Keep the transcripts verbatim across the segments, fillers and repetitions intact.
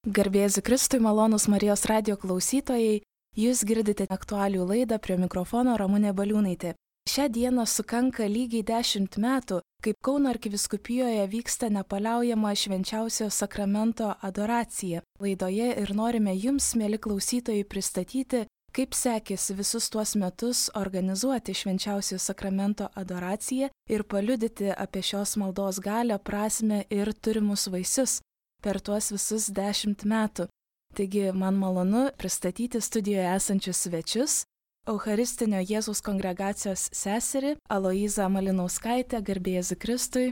Garbėsiu Kristui, malonūs Marijos radijo klausytojai, jūs girdite aktualių laidą, prie mikrofono Ramunė Baliūnaitė. Šią dieną sukanka lygiai dešimt metų, kaip Kauno arkivyskupijoje vyksta nepaliaujama švenčiausio sakramento adoracija. Laidoje ir norime jums, mieli klausytojai, pristatyti, kaip sekėsi visus tuos metus organizuoti švenčiausio sakramento adoraciją ir paliudyti apie šios maldos galią, prasmę ir turimus vaisius per tuos visus dešimt metų. Taigi man malonu pristatyti studijoje esančius svečius, Eucharistinio Jėzaus kongregacijos seserį Aloizą Malinauskaitę, garbėsiu Kristui.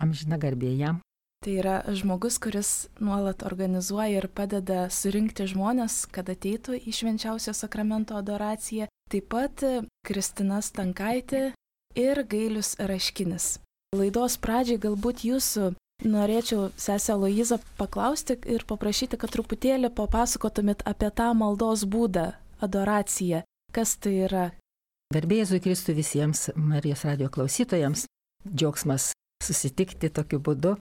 Amžina garbė jam. Tai yra žmogus, kuris nuolat organizuoja ir padeda surinkti žmonės, kad ateitų į švenčiausio sakramento adoraciją. Taip pat Kristina Stankaitė ir Gailius Raškinis. Laidos pradžiai galbūt jūsų norėčiau, sesę Aloizą, paklausti ir paprašyti, kad truputėlį papasakotumėt apie tą maldos būdą, adoraciją. Kas tai yra? Garbė Jėzui Kristui visiems Marijos radijo klausytojams. Džiaugsmas susitikti tokiu būdu.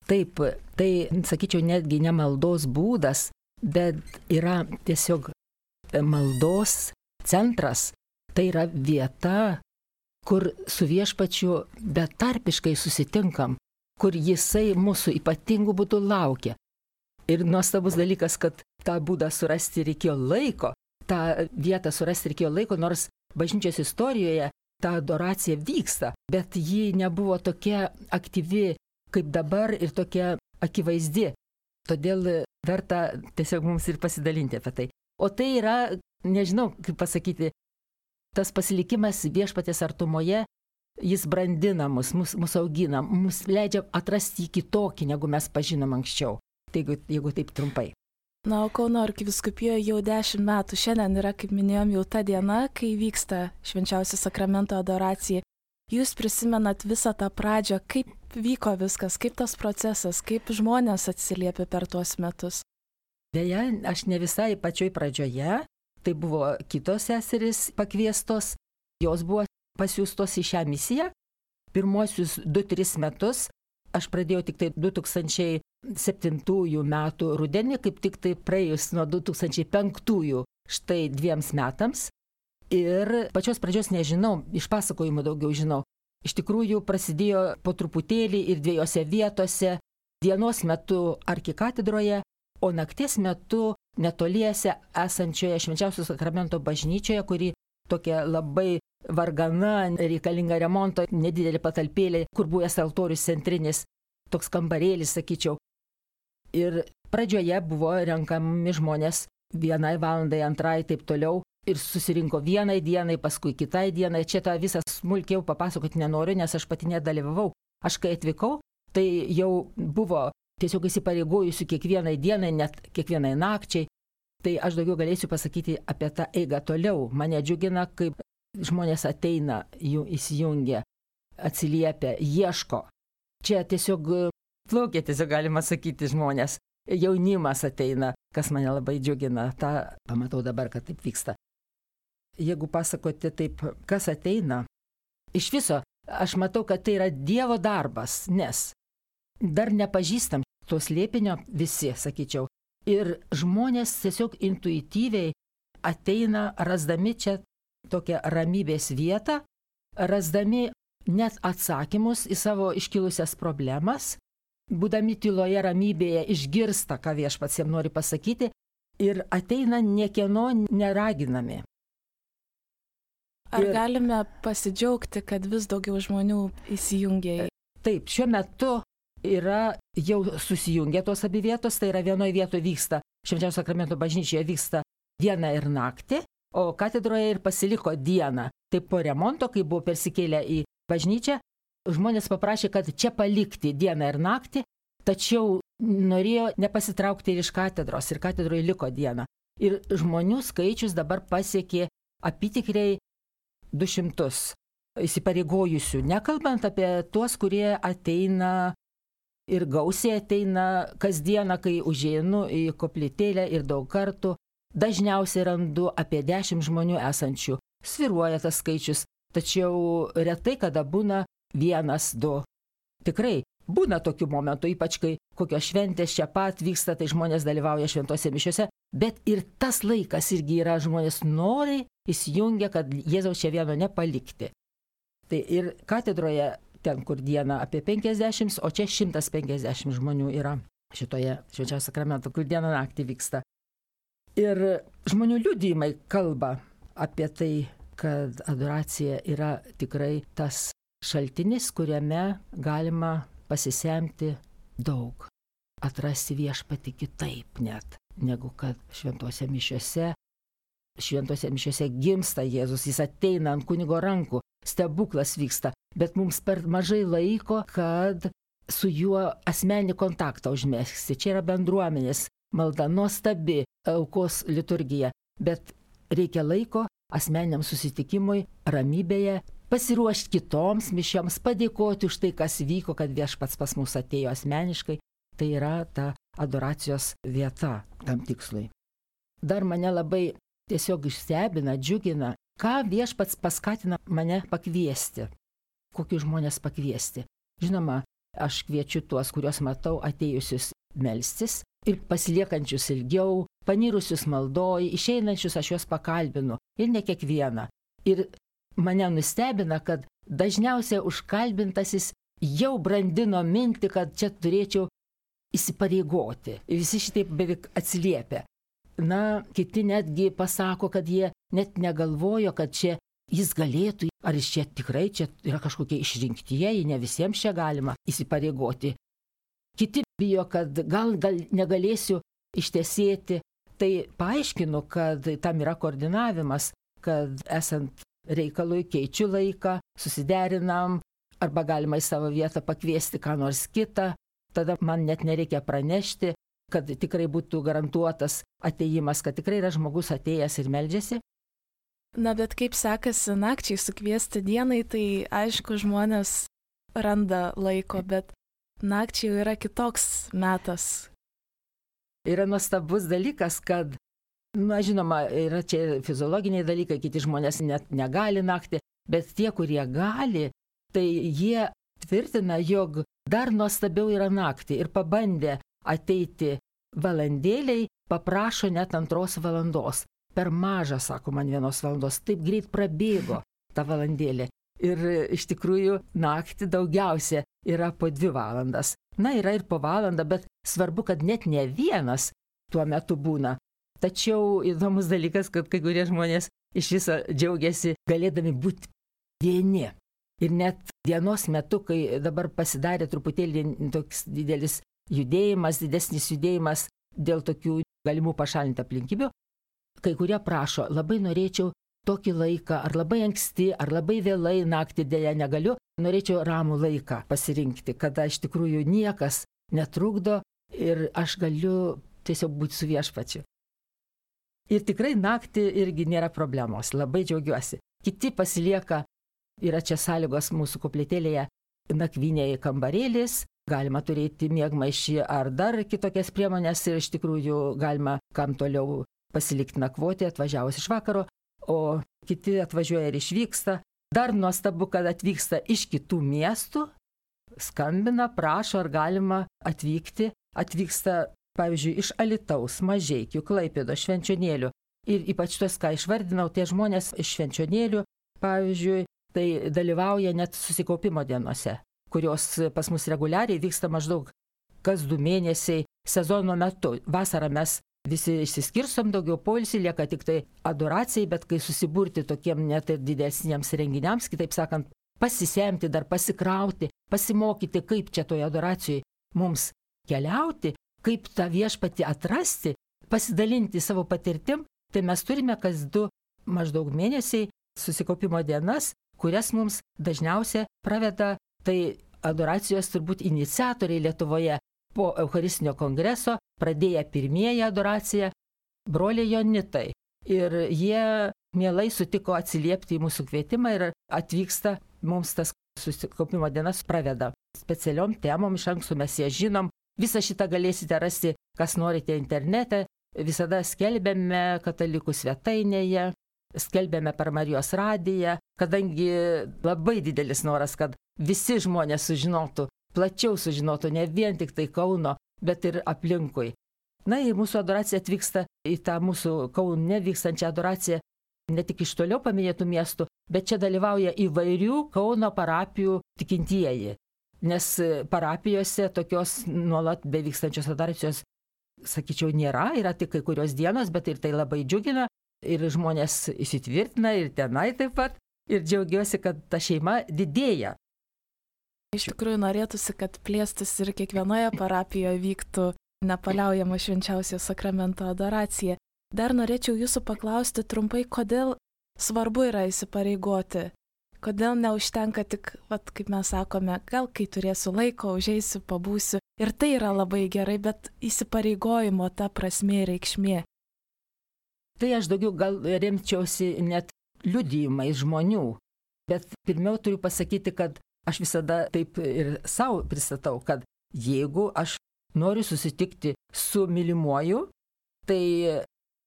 Taip, tai, sakyčiau, netgi ne maldos būdas, bet yra tiesiog maldos centras. Tai yra vieta, kur su viešpačiu betarpiškai susitinkam, kur jisai mūsų ypatingų būdų laukia. Ir nuostabus dalykas, kad tą būdą surasti reikėjo laiko, tą vietą surasti reikėjo laiko, nors bažnyčios istorijoje ta adoracija vyksta, bet ji nebuvo tokia aktyvi kaip dabar ir tokia akivaizdi. Todėl verta tiesiog mums ir pasidalinti apie tai. O tai yra, nežinau, kaip pasakyti, tas pasilikimas viešpaties artumoje, jis brandina mus, mus, mus augina, mus leidžia atrasti kitokį, negu mes pažinom anksčiau. Tai jeigu, jeigu taip trumpai. Na, o Kauno arkivyskupijoje jau dešimt metų. Šiandien yra, kaip minėjom, jau ta diena, kai vyksta švenčiausio sakramento adoracija. Jūs prisimenat visą tą pradžią, kaip vyko viskas, kaip tas procesas, kaip žmonės atsiliepė per tuos metus. Deja, aš ne visai pačioj pradžioje, tai buvo kitos seserys pakviestos, jos buvo pasiūstos į šią misiją. Pirmuosius du tris metus aš pradėjau tik tai du tūkstančiai septintųjų metų rudenį, kaip tik tai praėjus nuo du tūkstančiai penktųjų štai dviems metams. Ir pačios pradžios nežinau, iš pasakojimų daugiau žinau. Iš tikrųjų prasidėjo po truputėlį ir dviejose vietose, dienos metu arkikatedroje, o nakties metu netoliese esančioje švenčiausio sakramento bažnyčioje, kuri tokia labai vargana, reikalinga remonto, nedidelė patalpėlė, kur buvęs altorius centrinis, toks kambarėlis, sakyčiau. Ir pradžioje buvo renkami žmonės vienai valandai, antrai, taip toliau. Ir susirinko vienai dienai, paskui kitai dienai. Čia tą visą smulkiau papasakoti nenoriu, nes aš pati nedalyvavau. Aš kai atvykau, tai jau buvo tiesiog įsipareigojusiu kiekvienai dienai, net kiekvienai nakčiai. Tai aš daugiau galėsiu pasakyti apie tą eigą toliau. Mane džiugina, kaip žmonės ateina, jų įsijungia, atsiliepia, ieško. Čia tiesiog plaukia, tiesiog galima sakyti žmonės. Jaunimas ateina, kas mane labai džiugina. Ta pamatau dabar, kad taip vyksta. Jeigu pasakoti taip, kas ateina, iš viso aš matau, kad tai yra Dievo darbas, nes dar nepažįstam to slėpinio visi, sakyčiau. Ir žmonės tiesiog intuityviai ateina, rasdami čia tokią ramybės vietą, rasdami net atsakymus į savo iškilusias problemas, būdami tyloje ramybėje išgirsta, ką viešpats jam nori pasakyti, ir ateina niekieno neraginami. Ar ir galime pasidžiaugti, kad vis daugiau žmonių įsijungia? Taip, šiuo metu yra jau susijungę tos abi vietos, tai yra vienoje vietoje vyksta, švenčiausio sakramento bažnyčioje vyksta dieną ir naktį, o katedroje ir pasiliko dieną. Taip po remonto, kai buvo persikėlę į bažnyčią, žmonės paprašė, kad čia palikti dieną ir naktį, tačiau norėjo nepasitraukti ir iš katedros, ir katedroje liko diena. Ir žmonių skaičius dabar pasiekė apytikriai du šimtus įsipareigojusių, nekalbant apie tuos, kurie ateina ir gausiai ateina kasdieną, kai užeinu į koplytėlę ir daug kartų. Dažniausiai randu apie dešimt žmonių esančių. Sviruoja tas skaičius, tačiau retai kada būna vienas, du. Tikrai, Būna tokių momentų, ypač kai kokios šventės čia pat vyksta, tai žmonės dalyvauja šventose mišiose, bet ir tas laikas irgi yra, žmonės noriai įsijungia, kad Jėzaus čia vieno nepalikti. Tai ir katedroje, ten kur diena apie penkiasdešimt, o čia šimtas penkiasdešimt žmonių yra šitoje švenčiausio sakramento, kur dieną naktį vyksta. Ir žmonių liudijimai kalba apie tai, kad adoracija yra tikrai tas šaltinis, kuriame galima pasisemti daug, atrasti viešpatį kitaip net, negu kad šventose mišiose. Šventose mišiose gimsta Jėzus, jis ateina ant kunigo rankų, stebuklas vyksta, bet mums per mažai laiko, kad su juo asmeninį kontaktą užmegzti. Čia yra bendruomenės malda, nuostabi aukos liturgija, bet reikia laiko asmeniniam susitikimui, ramybėje, pasiruošti kitoms mišioms, padėkoti už tai, kas vyko, kad viešpats pas mus atėjo asmeniškai. Tai yra ta adoracijos vieta tam tikslui. Dar mane labai tiesiog išstebina, džiugina, ką viešpats paskatina mane pakviesti. Kokius žmonės pakviesti. Žinoma, aš kviečiu tuos, kuriuos matau atėjusius melstis ir pasiliekančius ilgiau, panirusius maldoj, išeinančius aš juos pakalbinu. Ir ne kiekvieną. Ir mane nustebina, kad dažniausiai užkalbintasis jau brandino mintį, kad čia turėčiau įsipareigoti. Ir visi šitaip beveik atsiliepia. Na, kiti netgi pasako, kad jie net negalvojo, kad čia jis galėtų, ar jis čia tikrai čia yra kažkokie išrinktieji, ne visiems čia galima įsipareigoti. Kiti bijo, kad gal, gal negalėsiu ištesėti. Tai paaiškinu, kad tam yra koordinavimas, kad esant reikalui keičiu laiką, susiderinam, arba galima į savo vietą pakviesti ką nors kitą, tada man net nereikia pranešti, kad tikrai būtų garantuotas atėjimas, kad tikrai yra žmogus atėjęs ir meldžiasi. Na, bet kaip sekasi nakčiai sukviesti dienai, tai aišku, žmonės randa laiko, bet nakčiai yra kitoks metas. Yra nuostabus dalykas, kad na, žinoma, yra čia fiziologiniai dalykai, kiti žmonės net negali naktį, bet tie, kurie gali, tai jie tvirtina, jog dar nuostabiau yra naktį ir pabandė ateiti valandėliai, paprašo net antros valandos. Per mažą, sako man, vienos valandos, taip greit prabėgo ta valandėlė. Ir iš tikrųjų naktį daugiausia yra po dvi valandas. Na, yra ir po valandą, bet svarbu, kad net ne vienas tuo metu būna. Tačiau įdomus dalykas, kad kai kurie žmonės iš viso džiaugiasi galėdami būti vieni. Ir net dienos metu, kai dabar pasidarė truputėlį toks didelis judėjimas, didesnis judėjimas dėl tokių galimų pašalinti aplinkybių, kai kurie prašo, labai norėčiau tokį laiką, ar labai anksti, ar labai vėlai naktį dėja negaliu, norėčiau ramų laiką pasirinkti, kada iš tikrųjų niekas netrukdo ir aš galiu tiesiog būti su viešpačiu. Ir tikrai naktį irgi nėra problemos, labai džiaugiuosi. Kiti pasilieka, yra čia sąlygos mūsų koplytėlėje, nakvynėje kambarėlis, galima turėti miegmaišį ar dar kitokias priemonės ir iš tikrųjų galima kam toliau pasilikti nakvoti atvažiavus iš vakaro, o kiti atvažiuoja ir išvyksta. Dar nuostabu, kad atvyksta iš kitų miestų, skambina, prašo, ar galima atvykti. Atvyksta, pavyzdžiui, iš Alytaus, Mažeikių, Klaipėdos, Švenčionėlių. Ir ypač tos, ką išvardinau, tie žmonės iš Švenčionėlių, pavyzdžiui, tai dalyvauja net susikaupimo dienose, kurios pas mus reguliariai vyksta maždaug kas du mėnesiai sezono metu. Vasarą mes visi išsiskirsom, daugiau poilsį, lieka tik tai adoracijai, bet kai susiburti tokiem net ir didesniems renginiams, kitaip sakant, pasisemti, dar pasikrauti, pasimokyti, kaip čia toje adoracijoje mums keliauti, kaip tą viešpatį atrasti, pasidalinti savo patirtim, tai mes turime kas du maždaug mėnesiai susikaupimo dienas, kurias mums dažniausiai praveda tai adoracijos turbūt iniciatoriai Lietuvoje. Po Eucharistinio kongreso pradėję pirmieji adoraciją broliai Jonitai. Ir jie mielai sutiko atsiliepti į mūsų kvietimą ir atvyksta, mums tas susikaupimo dienas praveda. Specialiom temom iš anksto mes ją žinom. Visą šitą galėsite rasti, kas norite internete. Visada skelbėme katalikų svetainėje, skelbėme per Marijos radiją, kadangi labai didelis noras, kad visi žmonės sužinotų, plačiau sužinotų, ne vien tik tai Kauno, bet ir aplinkui. Na ir mūsų adoracija atvyksta į tą mūsų Kaune vykstančią adoraciją ne tik iš toliau paminėtų miestų, bet čia dalyvauja įvairių Kauno parapijų tikintieji. Nes parapijose tokios nuolat bevykstančios adoracijos, sakyčiau, nėra, yra tik kai kurios dienos, bet ir tai labai džiugina ir žmonės įsitvirtina ir tenai taip pat ir džiaugiuosi, kad ta šeima didėja. Iš tikrųjų norėtųsi, kad plėstis ir kiekvienoje parapijoje vyktų nepaliaujama švenčiausio sakramento adoracija. Dar norėčiau jūsų paklausti trumpai, kodėl svarbu yra įsipareigoti. Kodėl neužtenka tik, vat, kaip mes sakome, gal kai turėsiu laiko, užeisiu, pabūsiu. Ir tai yra labai gerai, bet įsipareigojimo ta prasmė ir reikšmė. Tai aš daugiau gal remčiausi net liudijimais žmonių. Bet pirmiau turiu pasakyti, kad aš visada taip ir savo pristatau, kad jeigu aš noriu susitikti su mylimuoju, tai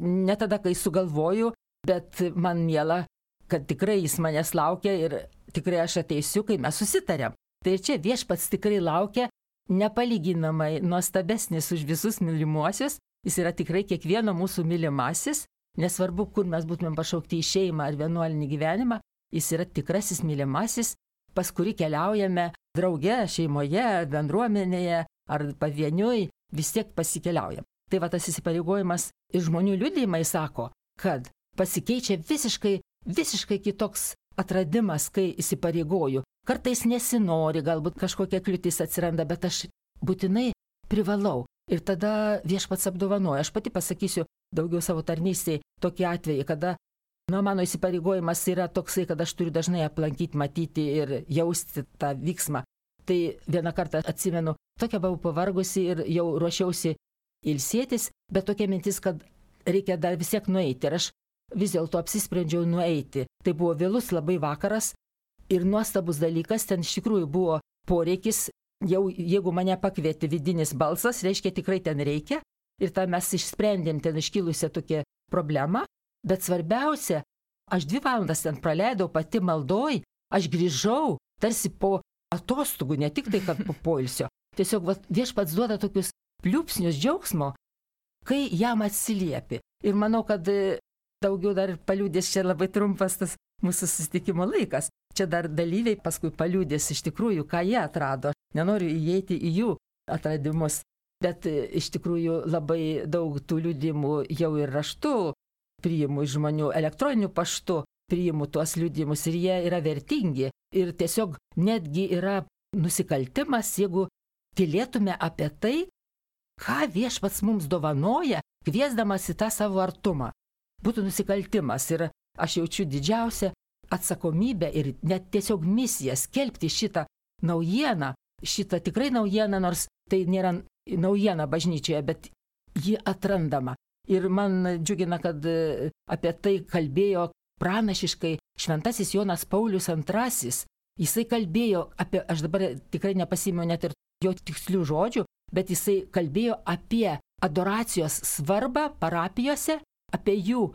ne tada, kai sugalvoju, bet man miela, kad tikrai jis manęs laukia ir tikrai aš ateisiu, kai mes susitarėm. Tai čia Viešpats tikrai laukia, nepalyginamai nuostabesnis už visus mylimuosius, jis yra tikrai kiekvieno mūsų mylimasis, nesvarbu, kur mes būtumėm pašaukti į šeimą ar vienuolinį gyvenimą, jis yra tikrasis mylimasis, pas kurį keliaujame drauge, šeimoje, bendruomenėje ar pavieniui, vis tiek pasikeliaujam. Tai va tas įsipareigojimas ir žmonių liudijimai sako, kad pasikeičia visiškai, visiškai kitoks atradimas, kai įsipareigoju. Kartais nesinori, galbūt kažkokia kliūtis atsiranda, bet aš būtinai privalau. Ir tada Viešpats apdovanoja. Aš pati pasakysiu daugiau savo tarnystėje tokį atvejį, kada nu, mano įsipareigojimas yra toksai, kad aš turiu dažnai aplankyti, matyti ir jausti tą vyksmą. Tai vieną kartą atsimenu, tokia buvau pavargusi ir jau ruošiausi ilsėtis, bet tokia mintis, kad reikia dar vis tiek nueiti. Ir aš vis dėlto apsisprendžiau nueiti. Tai buvo vėlus labai vakaras ir nuostabus dalykas, ten iš tikrųjų buvo poreikis, jau jeigu mane pakvietė vidinis balsas, reiškia tikrai ten reikia. Ir tą mes išsprendėm ten iškilusią tokią problemą. Bet svarbiausia, aš dvi valandas ten praleidau pati maldoj, aš grįžau tarsi po atostogų, ne tik tai, kad po poilsio. Tiesiog va, Viešpats duoda tokius pliūpsnius džiaugsmo, kai jam atsiliepi. Ir manau, kad daugiau dar paliūdės, čia labai trumpas tas mūsų susitikimo laikas. Čia dar dalyviai paskui paliūdės iš tikrųjų, ką jie atrado. Nenoriu įeiti į jų atradimus, bet iš tikrųjų labai daug tų liudimų jau ir raštu priimu iš žmonių, elektroniniu paštu priimu tuos liudimus ir jie yra vertingi. Ir tiesiog netgi yra nusikaltimas, jeigu tylėtume apie tai, ką Viešpats mums dovanoja, kviesdamas į tą savo artumą. Būtų nusikaltimas ir aš jaučiu didžiausią atsakomybę ir net tiesiog misiją skelbti šitą naujieną, šitą tikrai naujieną, nors tai nėra naujiena bažnyčioje, bet ji atrandama. Ir man džiugina, kad apie tai kalbėjo pranašiškai šventasis Jonas Paulius antrasis. Jisai kalbėjo apie, aš dabar tikrai nepasimenu net ir jo tikslių žodžių, bet jisai kalbėjo apie adoracijos svarbą parapijose, apie jų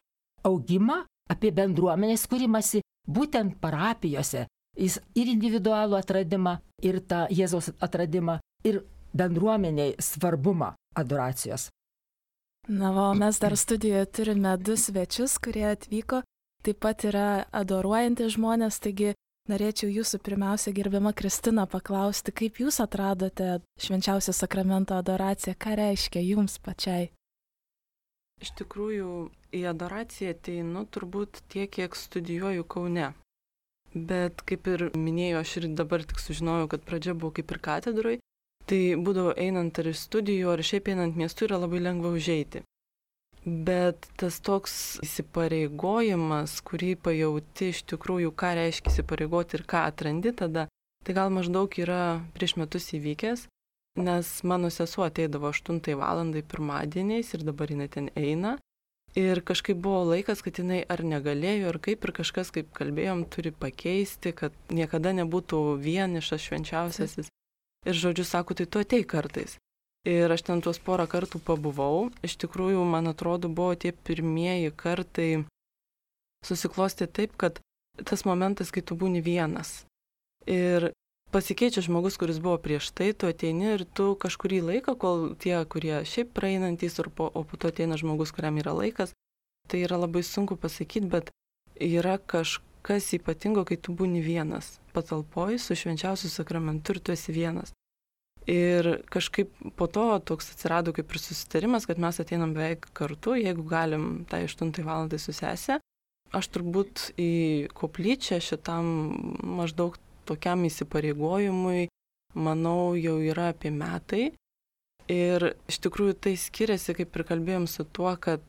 augimą, apie bendruomenės kūrimąsi būtent parapijose. Jis ir individualų atradimą, ir tą Jėzaus atradimą, ir bendruomeniai svarbumą adoracijos. Na, o mes dar studijoje turime du svečius, kurie atvyko, taip pat yra adoruojantys žmonės, taigi norėčiau jūsų pirmiausia, gerbiama Kristina, paklausti, kaip jūs atradote švenčiausio sakramento adoraciją, ką reiškia jums pačiai? Iš tikrųjų, į adoraciją ateinu turbūt tiek, kiek studijuoju Kaune. Bet kaip ir minėjau, aš ir dabar tik sužinojau, kad pradžia buvo kaip ir katedroj, tai būdavo einant ar iš studijų, ar šiaip einant miestu yra labai lengva užeiti. Bet tas toks įsipareigojimas, kurį pajauti iš tikrųjų, ką reiškia įsipareigoti ir ką atrandi tada, tai gal maždaug yra prieš metus įvykęs, nes mano sesuo ateidavo aštuntai valandai pirmadieniais ir dabar jinai ten eina. Ir kažkaip buvo laikas, kad jinai ar negalėjo, ar kaip, ir kažkas, kaip kalbėjom, turi pakeisti, kad niekada nebūtų vienišas švenčiausiasis. Ir žodžiu, sako, tai tu ateik kartais. Ir aš ten tuos porą kartų pabuvau. Iš tikrųjų, man atrodo, buvo tie pirmieji kartai susiklosti taip, kad tas momentas, kai tu būni vienas. Ir pasikeičia žmogus, kuris buvo prieš tai, tu ateini ir tu kažkurį laiką, kol tie, kurie šiaip praeinantys, po, o po to ateina žmogus, kuriam yra laikas, tai yra labai sunku pasakyti, bet yra kažkas ypatingo, kai tu būni vienas patalpoj su švenčiausiu sakramentu ir tu esi vienas. Ir kažkaip po to toks atsirado kaip ir susitarimas, kad mes ateinam beveik kartu, jeigu galim tai aštuntai valandai su sese. Aš turbūt į koplyčią šitam maždaug tokiam įsipareigojimui, manau, jau yra apie metai. Ir iš tikrųjų tai skiriasi, kaip ir kalbėjom su tuo, kad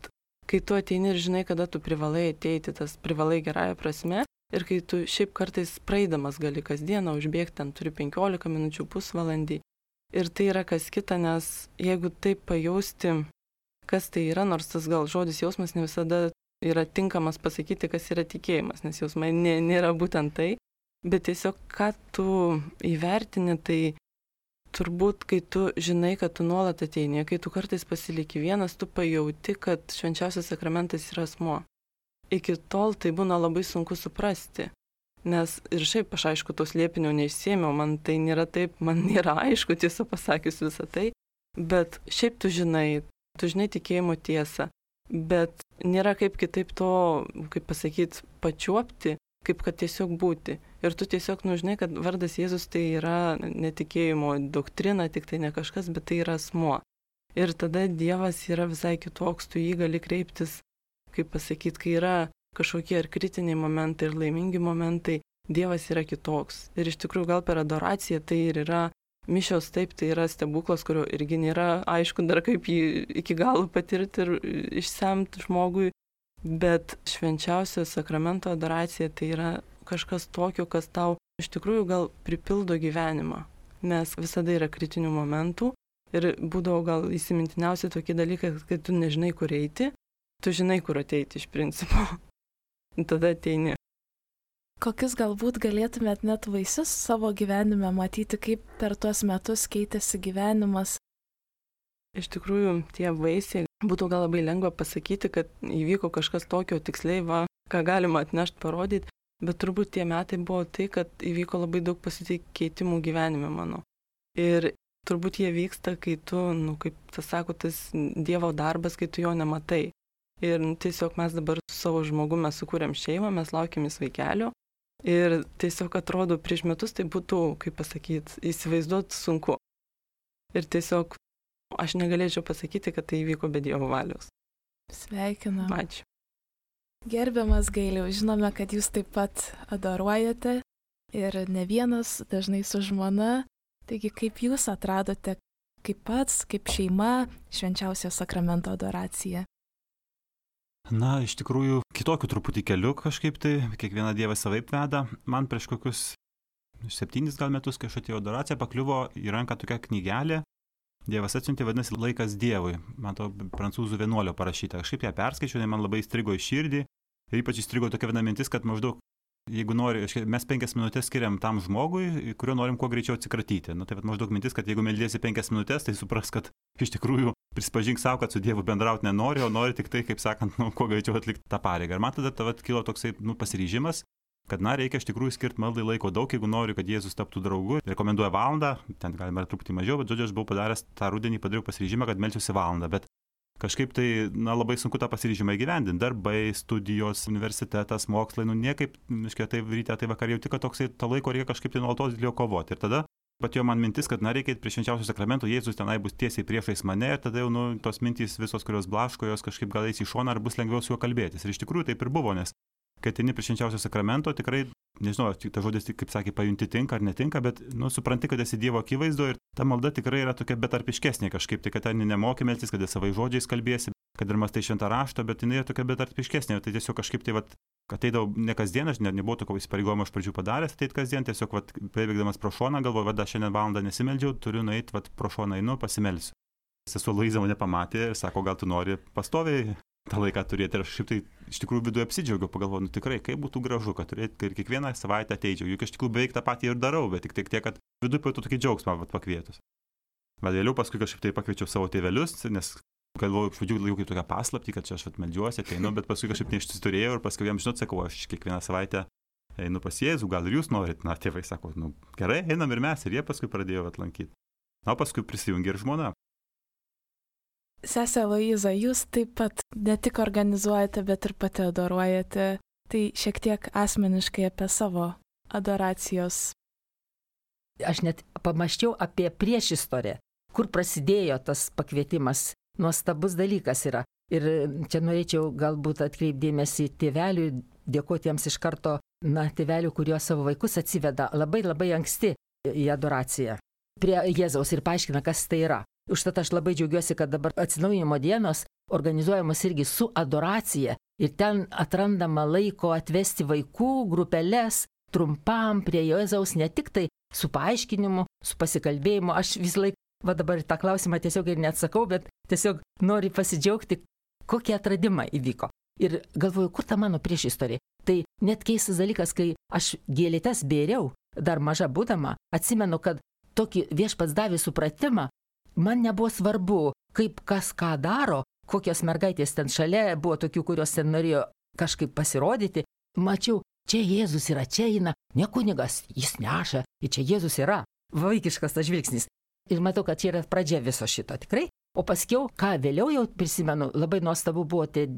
kai tu ateini ir žinai, kada tu privalai ateiti, tas privalai gerąją prasme, ir kai tu šiaip kartais praeidamas gali kasdieną užbėgti, ten turi penkiolika minučių, pusvalandį. Ir tai yra kas kita, nes jeigu taip pajausti, kas tai yra, nors tas gal žodis jausmas ne visada yra tinkamas pasakyti, kas yra tikėjimas, nes jausmai nė, nėra būtent tai. Bet tiesiog, ką tu įvertini, tai turbūt, kai tu žinai, kad tu nuolat ateini, kai tu kartais pasiliki vienas, tu pajauti, kad švenčiausias sakramentas yra asmuo. Iki tol tai būna labai sunku suprasti, nes ir šiaip aš aišku tos liepinio neišsėmiau, man tai nėra taip, man nėra aišku tiesą pasakius visą tai, bet šiaip tu žinai, tu žinai tikėjimo tiesą, bet nėra kaip kitaip to, kaip pasakyti, pačiuopti, kaip kad tiesiog būti. Ir tu tiesiog nužinai, kad vardas Jėzus tai yra netikėjimo doktrina, tik tai ne kažkas, bet tai yra asmuo. Ir tada Dievas yra visai kitoks, tu jį gali kreiptis, kaip pasakyti, kai yra kažkokie ar kritiniai momentai, ir laimingi momentai, Dievas yra kitoks. Ir iš tikrųjų gal per adoraciją tai ir yra mišios, taip, tai yra stebuklas, kurio irgi nėra aišku dar kaip jį iki galo patirti ir išsemti žmogui. Bet švenčiausio sakramento adoracija tai yra kažkas tokio, kas tau iš tikrųjų gal pripildo gyvenimą, nes visada yra kritinių momentų ir būdavo gal įsimintiniausi tokie dalykai, kad tu nežinai, kur eiti, tu žinai, kur ateiti iš principo, tada ateini. Kokius galbūt galėtumėt net vaisius savo gyvenime matyti, kaip per tuos metus keitėsi gyvenimas? Iš tikrųjų, tie vaisiai būtų gal labai lengva pasakyti, kad įvyko kažkas tokio tiksliai, va, ką galima atnešti, parodyti, bet turbūt tie metai buvo tai, kad įvyko labai daug pasikeitimų gyvenime mano. Ir turbūt jie vyksta, kai tu, nu, kaip tas sako, tas Dievo darbas, kai tu jo nematai. Ir nu, tiesiog mes dabar su savo žmogumi sukūrėm šeimą, mes laukiamės vaikelio. Ir tiesiog atrodo, prieš metus tai būtų, kaip pasakyti, įsivaizduoti sunku. Ir tiesiog aš negalėčiau pasakyti, kad tai įvyko be Dievo valios. Sveikinu. Ačiū. Gerbiamas Gailiau, žinome, kad jūs taip pat adoruojate ir ne vienas, dažnai su žmona. Taigi, kaip jūs atradote, kaip pats, kaip šeima, švenčiausio sakramento adoraciją? Na, iš tikrųjų, kitokių truputį kelių kažkaip tai, kiekvieną dievą savaip veda. Man prieš kokius septynis gal metus, kai aš atėjau adoraciją, pakliuvo į ranką tokia knygelė. Dievas atsiuntė, vadinasi, laikas Dievui. Man to prancūzų vienuolio parašyta. Kažkaip ją perskaičiau, man labai įstrigo į širdį. Ir ypač įstrigo tokia viena mintis, kad maždaug, jeigu nori, mes penkias minutės skiriam tam žmogui, kurio norim kuo greičiau atsikratyti. Na, tai maždaug mintis, kad jeigu meldiesi penkias minutės, tai supras, kad iš tikrųjų prispažink savo, kad su Dievu bendrauti nenori, o nori tik tai, kaip sakant, nu, kuo greičiau atlikti tą pareigą. Ir man tada tavat kilo toksai, nu, pasiryžimas, kad, na, reikia iš tikrųjų skirti maldai laiko daug, jeigu noriu, kad Jėzus taptų draugu. Rekomenduoja valandą, ten galima truputį mažiau, bet žodžiu, aš buvau padaręs tą rudenį, padariau pasiryžimą, kad melsiuosi valandą, bet kažkaip tai, na, labai sunku tą pasiryžimą įgyvendinti. Darbai, studijos, universitetas, mokslai, nu, niekaip, iškia, tai ryte, tai vakar jau tik, kad toksai to laiko reikia kažkaip tai nuolatos dėl jo kovoti. Ir tada patėjo man mintis, kad, na, reikia prie švenčiausio sakramento, Jėzus tenai bus tiesiai priešais mane ir tada jau, nu, tos mintys visos, kurios blaško, jos kažkaip gal eis į šoną ar bus lengviau su juo kalbėtis. Ir iš tikrųjų taip ir buvo, nes kai ateini prie švenčiausio sakramento, tikrai, nežinau, ta žodis, kaip sakė, pajunti tinka ar netinka, bet, nu, supranti, kad esi Dievo akivaizdo ir ta malda tikrai yra tokia betarpiškesnė kažkaip, tai kad ten nemoki melstis, kad savai žodžiais kalbėsi, kad ir mastai šventą raštą, bet jinai yra tokia betarpiškesnė, tai tiesiog kažkaip tai, vat, ateidavau ne kasdien, aš ne, nebuvau tokio įsipareigojimo iš pradžių padaręs, ateit kasdien, tiesiog, vat, prabėgdamas pro šoną, galvoju, va, šiandien valandą nesimeldžiau, turiu nueiti, vat, pro šoną einu, pasimelsiu. Sesuo Luiza mane pamatė ir sako, gal tu nori pastoviai tą laiką turėti. Ir aš šiaip tai iš tikrųjų viduje apsidžiaugiau, pagalvoju, nu tikrai, kaip būtų gražu, kad turėti ir kiekvieną savaitę ateičiau. Juk iš tikrųjų beveik tą patį ir darau, bet tik tiek, kad viduje pajutau tokį džiaugsmą vat, pakvietus. Bet vėliau paskui kažkaip tai pakviečiau savo tėvelius, nes galvoju, iš pradžių laikau kaip tokią paslaptį, kad čia aš vat meldžiuosi, ateinu, bet paskui kažkaip neišsiturėjau ir paskui jiems žinot, sakau, aš kiekvieną savaitę einu pas Jėzų, gal ir jūs norit, na, tėvai sako, nu, gerai, einam ir mes, ir jie paskui pradėjo atlankyti. Na, paskui prisijungė ir žmona. Sesė Aloiza, jūs taip pat ne tik organizuojate, bet ir pati adoruojate. Tai šiek tiek asmeniškai apie savo adoracijos. Aš net pamaščiau apie priešistorę, kur prasidėjo tas pakvietimas. Nuostabus dalykas yra. Ir čia norėčiau galbūt atkreipdėmėsi tėvelių, dėkoti jiems iš karto, na, tėvelių, kurio savo vaikus atsiveda labai labai anksti į adoraciją prie Jėzaus ir paaiškina, kas tai yra. Užtat aš labai džiaugiuosi, kad dabar atsinaujinimo dienos organizuojamos irgi su adoracija ir ten atrandama laiko atvesti vaikų grupelės trumpam prie Jėzaus, ne tik tai su paaiškinimu, su pasikalbėjimu. Aš vis laik, va dabar tą klausimą tiesiog ir neatsakau, bet tiesiog noriu pasidžiaugti, kokie atradimai įvyko. Ir galvoju, kur ta mano priešistorė. Tai net keistas dalykas, kai aš gėlytes bėriau, dar maža būdama, atsimenu, kad tokį viešpats davė supratimą, man nebuvo svarbu, kaip kas ką daro, kokios mergaitės ten šalia, buvo tokių, kurios ten norėjo kažkaip pasirodyti. Mačiau, čia Jėzus yra, čia eina, ne kunigas, jis neša, ir čia Jėzus yra. Vaikiškas tas žvilgsnis. Ir matau, kad čia yra pradžia viso šito, tikrai. O paskiau, ką vėliau jau prisimenu, labai nuostabu buvo tie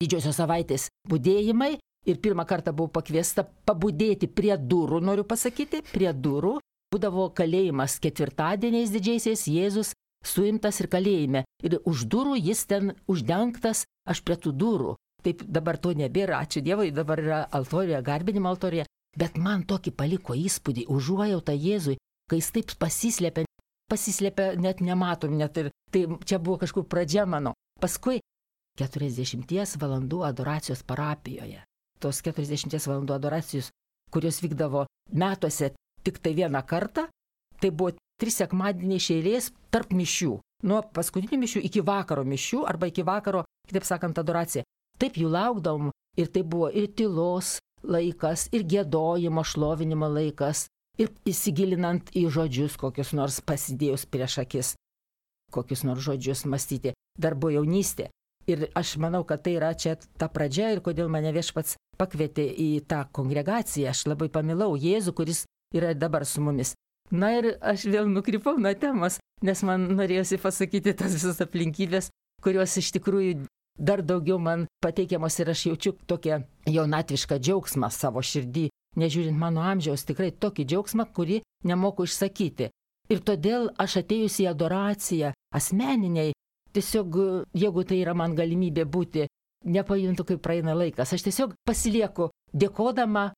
didžiosios savaitės budėjimai. Ir pirmą kartą buvau pakviesta pabudėti prie durų, noriu pasakyti, prie durų. Būdavo kalėjimas ketvirtadieniais didžiaisiais, Jėzus suimtas ir kalėjime. Ir už durų jis ten uždengtas, aš prie tų durų. Taip dabar to nebėra, ačiū Dievui, dabar yra altorija, garbinimo altorija. Bet man tokį paliko įspūdį, užuojautą Jėzui, kai jis taip pasislėpė, pasislėpė net nematom, net ir tai čia buvo kažkur pradžia mano. Paskui keturiasdešimties valandų adoracijos parapijoje. Tos keturiasdešimties valandų adoracijos, kurios vykdavo metuose tik tai vieną kartą, tai buvo trys sekmadieniai iš eilės tarp mišių. Nuo paskutinių mišių iki vakaro mišių arba iki vakaro, kitaip sakant, adoracija. Taip jų laukdavom ir tai buvo ir tylos laikas, ir giedojimo, šlovinimo laikas, ir įsigilinant į žodžius, kokius nors pasidėjus prieš akis, kokius nors žodžius mąstyti. Dar buvo jaunystė. Ir aš manau, kad tai yra čia ta pradžia ir kodėl mane viešpats pakvietė į tą kongregaciją. Aš labai pamilau Jėzų, kuris yra dabar su mumis. Na ir aš vėl nukrypau nuo temos, nes man norėjosi pasakyti tas visas aplinkybės, kurios iš tikrųjų dar daugiau man pateikiamos ir aš jaučiu tokią jaunatvišką džiaugsmą savo širdį, nežiūrint mano amžiaus, tikrai tokį džiaugsmą, kurį nemoku išsakyti. Ir todėl aš atėjus į adoraciją asmeniniai, tiesiog jeigu tai yra man galimybė būti, nepajuntu, kaip praeina laikas, aš tiesiog pasilieku dėkodama,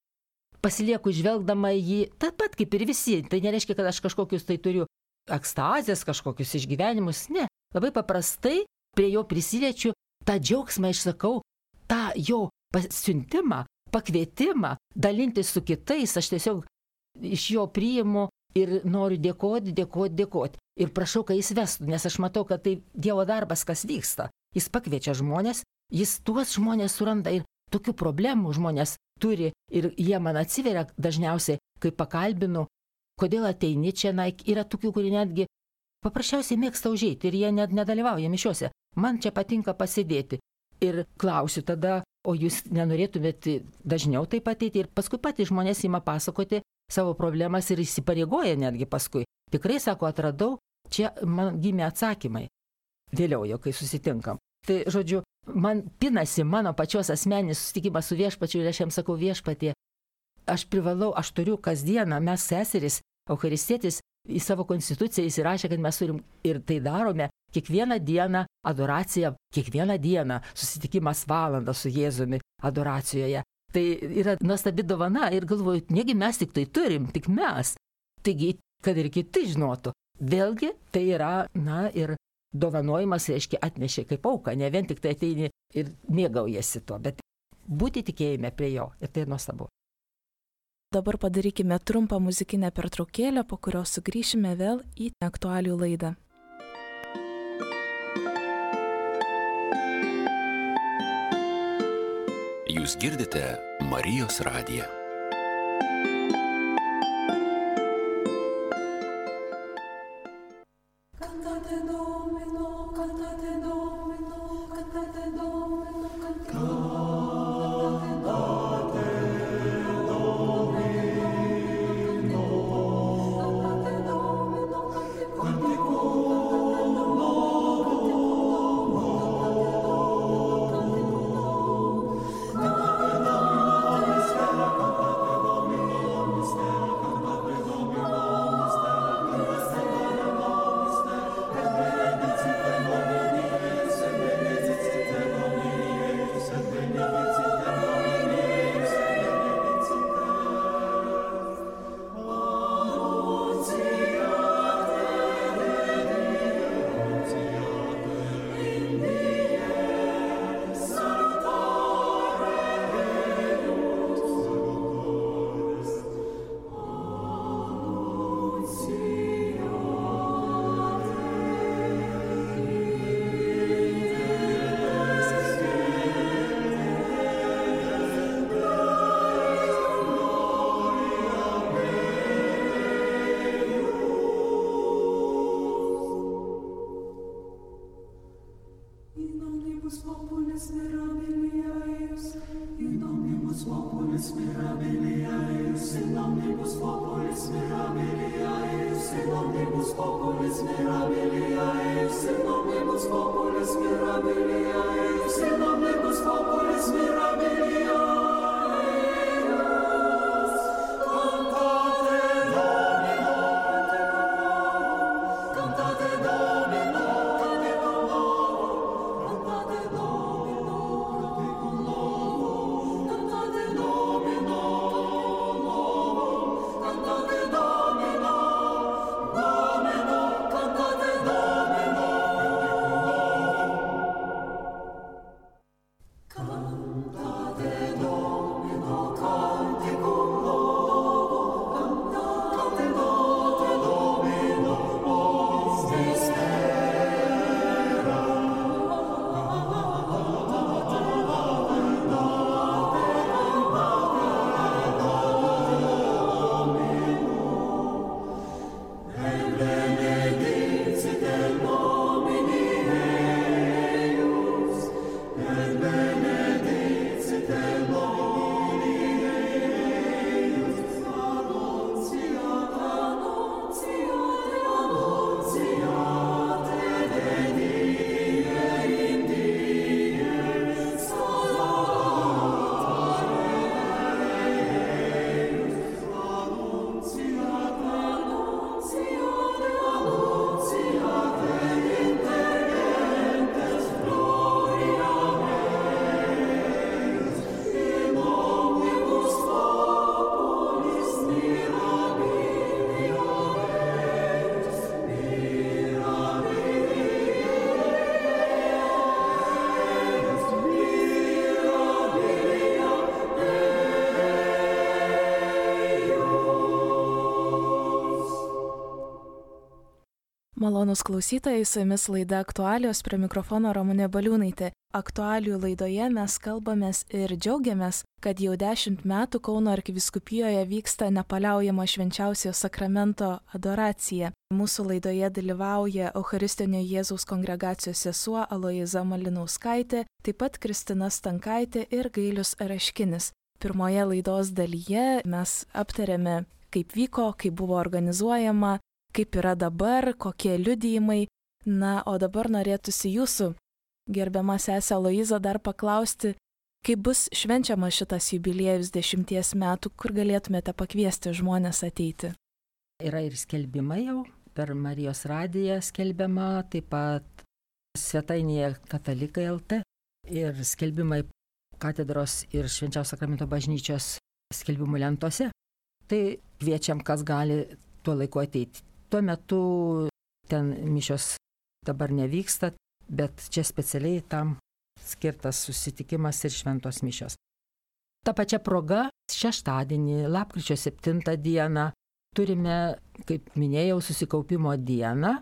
pasilieku žvelgdama jį, taip pat kaip ir visi. Tai nereiškia, kad aš kažkokius tai turiu ekstazės, kažkokius išgyvenimus, ne. Labai paprastai prie jo prisiliečiu, tą džiaugsmą išsakau, tą jo pasiuntimą, pakvietimą, dalintis su kitais, aš tiesiog iš jo priimu ir noriu dėkoti, dėkoti, dėkoti. Ir prašau, kad jis vestų, nes aš matau, kad tai Dievo darbas, kas vyksta. Jis pakviečia žmonės, jis tuos žmonės suranda ir tokių problemų žmonės turi ir jie man atsiveria dažniausiai, kai pakalbinu, kodėl ateini čia, na, yra tokių, kurie netgi paprasčiausiai mėgsta užeiti ir jie net nedalyvauja mišiuose. Man čia patinka pasėdėti. Ir klausiu tada, o jūs nenorėtumėt dažniau taip ateiti? Ir paskui patys žmonės ima pasakoti savo problemas ir įsipareigoja netgi paskui. Tikrai, sako, atradau, čia man gimė atsakymai. Vėliau jau, kai susitinkam. Tai, žodžiu, man pinasi mano pačios asmeninis susitikimas su viešpačiu ir aš jam sakau, viešpatie, aš privalau, aš turiu kasdieną, mes seseris, eucharistietis, į savo konstituciją įsirašė, kad mes turim ir tai darome kiekvieną dieną adoraciją, kiekvieną dieną susitikimas valandą su Jėzumi adoracijoje. Tai yra nuostabi dovana ir galvoju, negi mes tik tai turim, tik mes. Taigi, kad ir kiti žinotų. Vėlgi, tai yra, na, ir dovanojimas, reiškia, atnešė kaip auką, ne vien tik tai ateini ir mėgaujasi tuo, bet būti tikėjime prie jo. Ir tai nuostabu. Dabar padarykime trumpą muzikinę pertraukėlę, po kurios sugrįšime vėl į aktualių laidą. Jūs girdite Marijos radiją. Cantate Domino, cantate Domino, cantate Domino, cantate Domino. populis mirabilis, in omnibus populis mirabilis, in omnibus populis mirabilis, in omnibus populis mirabilis, in omnibus populis mirabilis, in omnibus populis mirabilis. Malonūs klausytojai, su jumis laida aktualijos, prie mikrofono Ramunė Baliūnaitė. Aktualijų laidoje mes kalbamės ir džiaugiamės, kad jau dešimt metų Kauno arkivyskupijoje vyksta nepaliaujama švenčiausiojo sakramento adoracija. Mūsų laidoje dalyvauja Eucharistinio Jėzaus kongregacijos sesuo Aloiza Malinauskaitė, taip pat Kristina Stankaitė ir Gailius Raškinis. Pirmoje laidos dalyje mes aptarėme, kaip vyko, kaip buvo organizuojama, kaip yra dabar, kokie liudijimai. Na, o dabar norėtųsi jūsų, gerbiama sesė Aloiza, dar paklausti, kaip bus švenčiama šitas jubiliejus dešimties metų, kur galėtumėte pakviesti žmonės ateiti. Yra ir skelbimai jau, per Marijos radiją skelbiama, taip pat svetainėje Katalikai L T ir skelbimai katedros ir Švenčiausio sakramento bažnyčios skelbimų lentose. Tai kviečiam, kas gali tuo laiku ateiti. Tuo metu ten mišios dabar nevyksta, bet čia specialiai tam skirtas susitikimas ir šventos mišios. Ta pačia proga šeštadienį, lapkričio septintą dieną, turime, kaip minėjau, susikaupimo dieną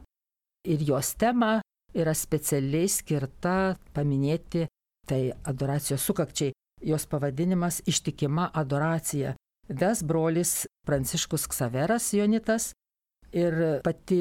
ir jos tema yra specialiai skirta paminėti tai adoracijos sukakčiai. Jos pavadinimas Ištikima adoracija. Ves brolis Pranciškus Ksaveras Jonitas. Ir pati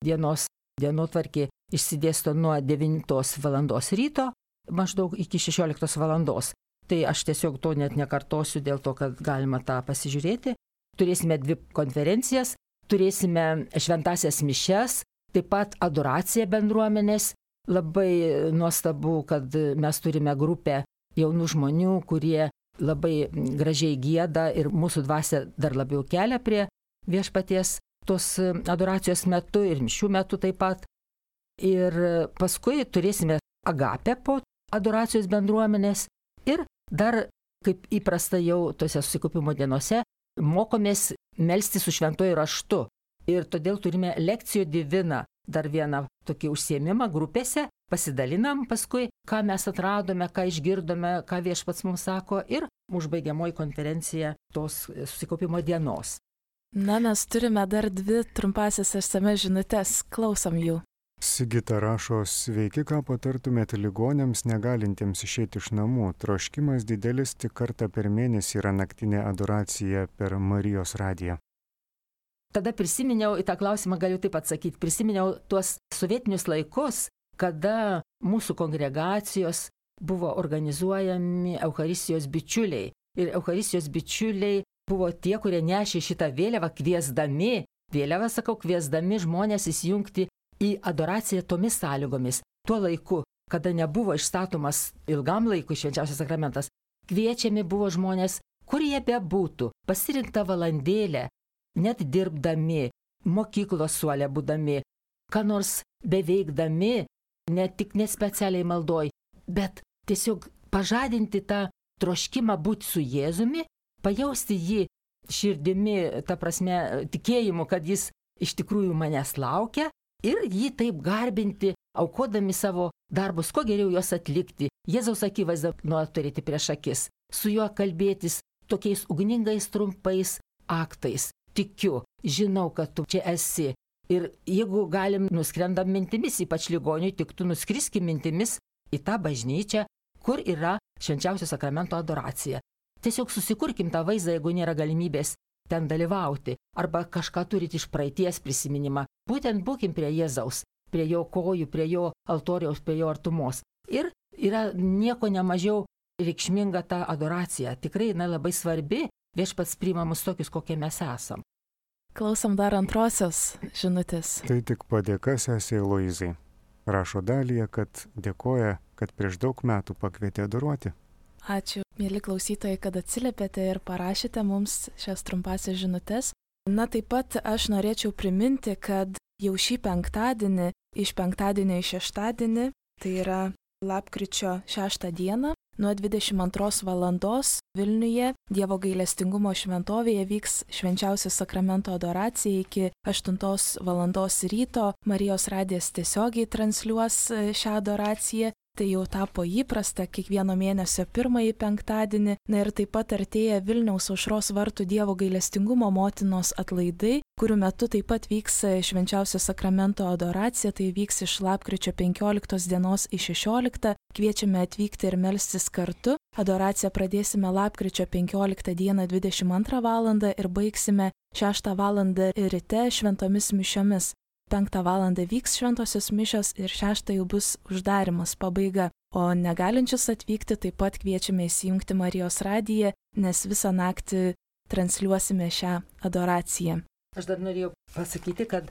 dienos dienotvarkė išsidėsto nuo devintos valandos ryto maždaug iki šešioliktos valandos. Tai aš tiesiog to net nekartosiu dėl to, kad galima tą pasižiūrėti. Turėsime dvi konferencijas, turėsime šventasias mišias, taip pat adoraciją bendruomenės. Labai nuostabu, kad mes turime grupę jaunų žmonių, kurie labai gražiai gieda ir mūsų dvasia dar labiau kelia prie viešpaties tos adoracijos metu ir mišių metu taip pat. Ir paskui turėsime agapę po adoracijos bendruomenės ir dar, kaip įprasta jau tose susikaupimo dienose, mokomės melsti su šventuoju raštu. Ir todėl turime lekcijo divina, dar vieną tokį užsiėmimą grupėse, pasidalinam paskui, ką mes atradome, ką išgirdome, ką viešpats mums sako ir užbaigiamoji konferencija tos susikaupimo dienos. Na, mes turime dar dvi trumpasias S M S žinutės, klausom jų. Sigita rašo, sveiki, ką patartumėte ligonėms negalintiems išėti iš namų. Troškimas didelis, tik kartą per mėnesį yra naktinė adoracija per Marijos radiją. Tada prisiminiau, į tą klausimą galiu taip atsakyti, prisiminiau tuos sovietinius laikus, kada mūsų kongregacijos buvo organizuojami Eucharistijos bičiuliai. Ir Eucharistijos bičiuliai buvo tie, kurie nešė šitą vėliavą, kviesdami, vėliavą sakau, kviesdami žmonės įsijungti į adoraciją tomis sąlygomis. Tuo laiku, kada nebuvo išstatomas ilgam laikui švenčiausias sakramentas, kviečiami buvo žmonės, kur jie bebūtų, pasirinktą valandėlę, net dirbdami, mokyklos suolė būdami, ką nors beveikdami, ne tik nespecialiai maldoj, bet tiesiog pažadinti tą troškimą būti su Jėzumi, pajausti jį širdimi, ta prasme, tikėjimu, kad jis iš tikrųjų manęs laukia ir jį taip garbinti, aukodami savo darbus, kuo geriau juos atlikti, Jėzaus akivaizdą nuolat turėti prieš akis, su juo kalbėtis tokiais ugningais trumpais aktais. Tikiu, žinau, kad tu čia esi. Ir jeigu galim nuskrendam mintimis, ypač ligoniui, tik tu nuskriskim mintimis į tą bažnyčią, kur yra švenčiausio sakramento adoracija. Tiesiog susikurkim tą vaizdą, jeigu nėra galimybės ten dalyvauti. Arba kažką turit iš praeities prisiminimą. Būtent būkim prie Jėzaus, prie jo kojų, prie jo altoriaus, prie jo artumos. Ir yra nieko nemažiau reikšminga ta adoracija. Tikrai jinai labai svarbi, viešpats priima mus tokius, kokie mes esam. Klausom dar antrosios žinutės. Tai tik padėka sesei Luizai. Rašo Dalija, kad dėkoja, kad prieš daug metų pakvietė adoruoti. Ačiū, mėly klausytojai, kad atsiliepėte ir parašėte mums šias trumpasias žinutės. Na, taip pat aš norėčiau priminti, kad jau šį penktadienį, iš penktadienio į šeštadienį, tai yra lapkričio šeštą dieną, nuo dvidešimt antros valandos Vilniuje Dievo gailestingumo šventovėje vyks švenčiausio sakramento adoracija iki aštuntos valandos ryto. Marijos radijas tiesiogiai transliuos šią adoraciją. Tai jau tapo įprasta kiekvieno mėnesio pirmąjį penktadienį. Na ir taip pat artėja Vilniaus Aušros vartų Dievo gailestingumo motinos atlaidai, kurių metu taip pat vyks švenčiausio sakramento adoracija. Tai vyks iš lapkričio penkioliktos dienos į šešioliktą. Kviečiame atvykti ir melstis kartu. Adoraciją pradėsime lapkričio penkioliktą dieną dvidešimt antrą valandą ir baigsime šeštą valandą ryte šventomis mišiomis. penktą valandą vyks šventosios mišios ir šeštą jau bus uždarimas, pabaiga. O negalinčius atvykti taip pat kviečiame įsijungti Marijos radiją, nes visą naktį transliuosime šią adoraciją. Aš dar norėjau pasakyti, kad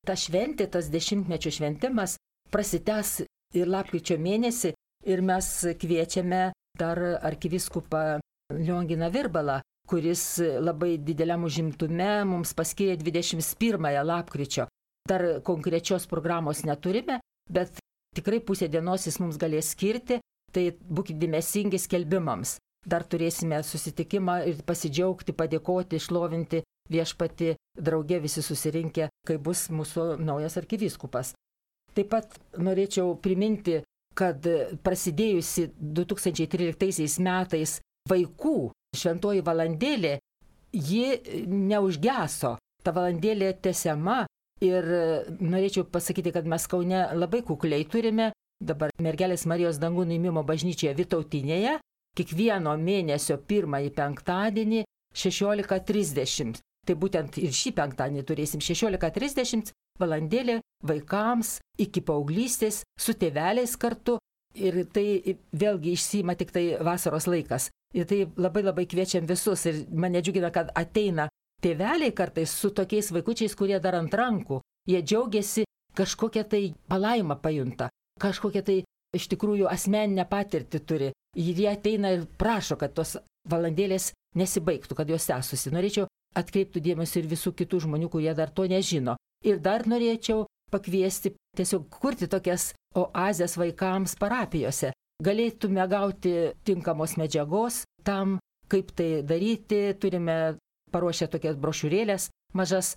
ta šventė, tas dešimtmečio šventimas prasitęs ir lapkričio mėnesį ir mes kviečiame dar arkivyskupą Lionginą Virbalą, kuris labai dideliam užimtume mums paskyrė dvidešimt pirmąją lapkričio. Dar konkrečios programos neturime, bet tikrai pusę dienos jis mums galės skirti, tai būkite dėmesingi skelbimams. Dar turėsime susitikimą ir pasidžiaugti, padėkoti, išlovinti viešpatį, drauge visi susirinkę, kai bus mūsų naujas arkivyskupas. Taip pat norėčiau priminti, kad prasidėjusi du tūkstančiai tryliktaisiais metais vaikų šventoji valandėlė, ji neužgeso. Ta valandėlė tęsiama. Ir norėčiau pasakyti, kad mes Kaune labai kukliai turime, dabar Mergelės Marijos dangų nuėmimo bažnyčioje Vytautinėje, kiekvieno mėnesio pirmąjį penktadienį šešiolika trisdešimt. Tai būtent ir šį penktadienį turėsim šešiolika trisdešimt valandėlė vaikams iki paauglystės su tėveliais kartu. Ir tai vėlgi išsiima tik tai vasaros laikas. Ir tai labai labai kviečiam visus ir mane džiugina, kad ateina tėveliai kartais su tokiais vaikučiais, kurie dar ant rankų, jie džiaugiasi, kažkokią tai palaimą pajunta, kažkokią tai iš tikrųjų asmeninę patirtį turi. Ir jie ateina ir prašo, kad tos valandėlės nesibaigtų, kad jos tęstųsi. Norėčiau atkreipti dėmesį ir visų kitų žmonių, kurie dar to nežino. Ir dar norėčiau pakviesti tiesiog kurti tokias oazės vaikams parapijose. Galėtume gauti tinkamos medžiagos tam, kaip tai daryti, turime paruošę tokias brošiūrėlės mažas,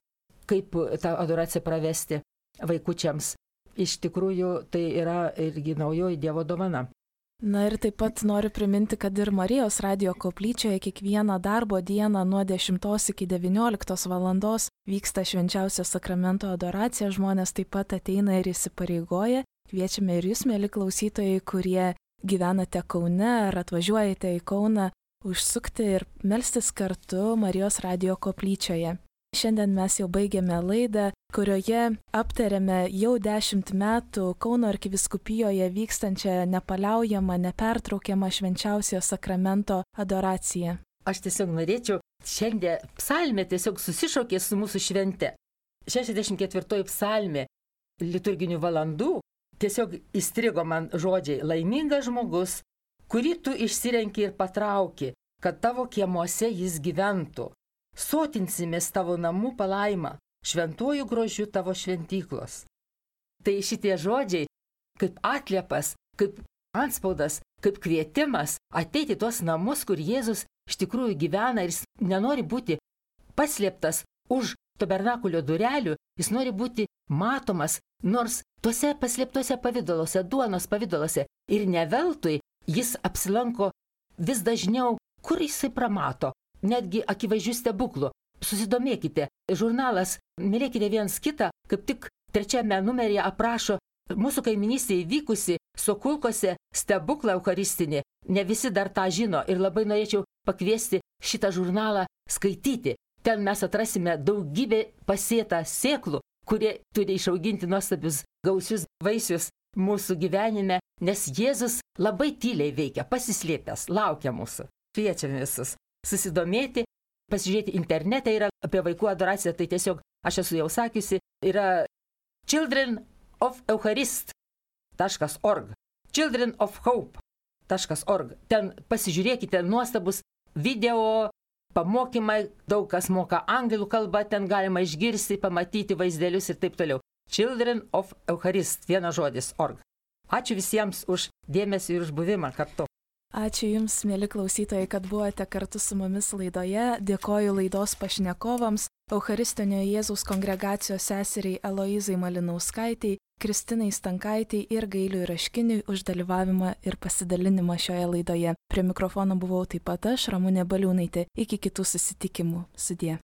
kaip tą adoraciją pravesti vaikučiams. Iš tikrųjų, tai yra irgi naujoji Dievo dovana. Na ir taip pat noriu priminti, kad ir Marijos radijo koplyčioje kiekvieną darbo dieną nuo dešimtos iki devynioliktos valandos vyksta švenčiausio sakramento adoracija. Žmonės taip pat ateina ir įsipareigoja. Kviečiame ir jūs, mėly klausytojai, kurie gyvenate Kaune ar atvažiuojate į Kauną, užsukti ir melstis kartu Marijos radijo koplyčioje. Šiandien mes jau baigėme laidą, kurioje aptarėme jau dešimt metų Kauno arkivyskupijoje vykstančią nepaliaujamą, nepertraukiamą švenčiausiojo sakramento adoraciją. Aš tiesiog norėčiau, šiandien psalmė tiesiog susišaukė su mūsų švente. šešiasdešimt ketvirtoji psalmė liturginių valandų tiesiog įstrigo man žodžiai: laimingas žmogus, kurį tu išsirenki ir patrauki, kad tavo kiemuose jis gyventų. Sotinsimės tavo namų palaimą, šventuoju grožiu tavo šventyklos. Tai šitie žodžiai kaip atliepas, kaip antspaudas, kaip kvietimas ateiti tuos namus, kur Jėzus iš tikrųjų gyvena ir jis nenori būti paslėptas už tabernakulio durelių, jis nori būti matomas, nors tuose paslėptuose pavidaluose, duonos pavidaluose. Ir ne veltui jis apsilanko vis dažniau, kur jisai pramato. Netgi akivaizdžių stebuklų. Susidomėkite, žurnalas Mylėkite viens kitą, kaip tik trečiame numeryje aprašo mūsų kaiminystėje įvykusi Sokulkose stebuklą eucharistinį. Ne visi dar tą žino ir labai norėčiau pakviesti šitą žurnalą skaityti. Ten mes atrasime daugybę pasėtą sėklų, kurie turi išauginti nuostabius gausius vaisius mūsų gyvenime, nes Jėzus labai tyliai veikia, pasislėpęs, laukia mūsų. Kviečiame visus susidomėti, pasižiūrėti internete, yra apie vaikų adoraciją, tai tiesiog, aš esu jau sakiusi, yra children of eucharist taškas org, children of hope taškas org. Ten pasižiūrėkite nuostabus video, pamokymai, daug kas moka anglų kalbą, ten galima išgirsti, pamatyti vaizdelius ir taip toliau. Children of eucharist, vienas žodis, org. Ačiū visiems už dėmesį ir už buvimą kartu. Ačiū Jums, mėly klausytojai, kad buvote kartu su mumis laidoje. Dėkoju laidos pašnekovams, Eucharistinio Jėzaus kongregacijos seseriai Eloizai Malinauskaitei, Kristinai Stankaitei ir Gailiui Raškiniui už dalyvavimą ir pasidalinimą šioje laidoje. Prie mikrofono buvau taip pat aš, Ramunė Baliūnaitė. Iki kitų susitikimų. Sudie.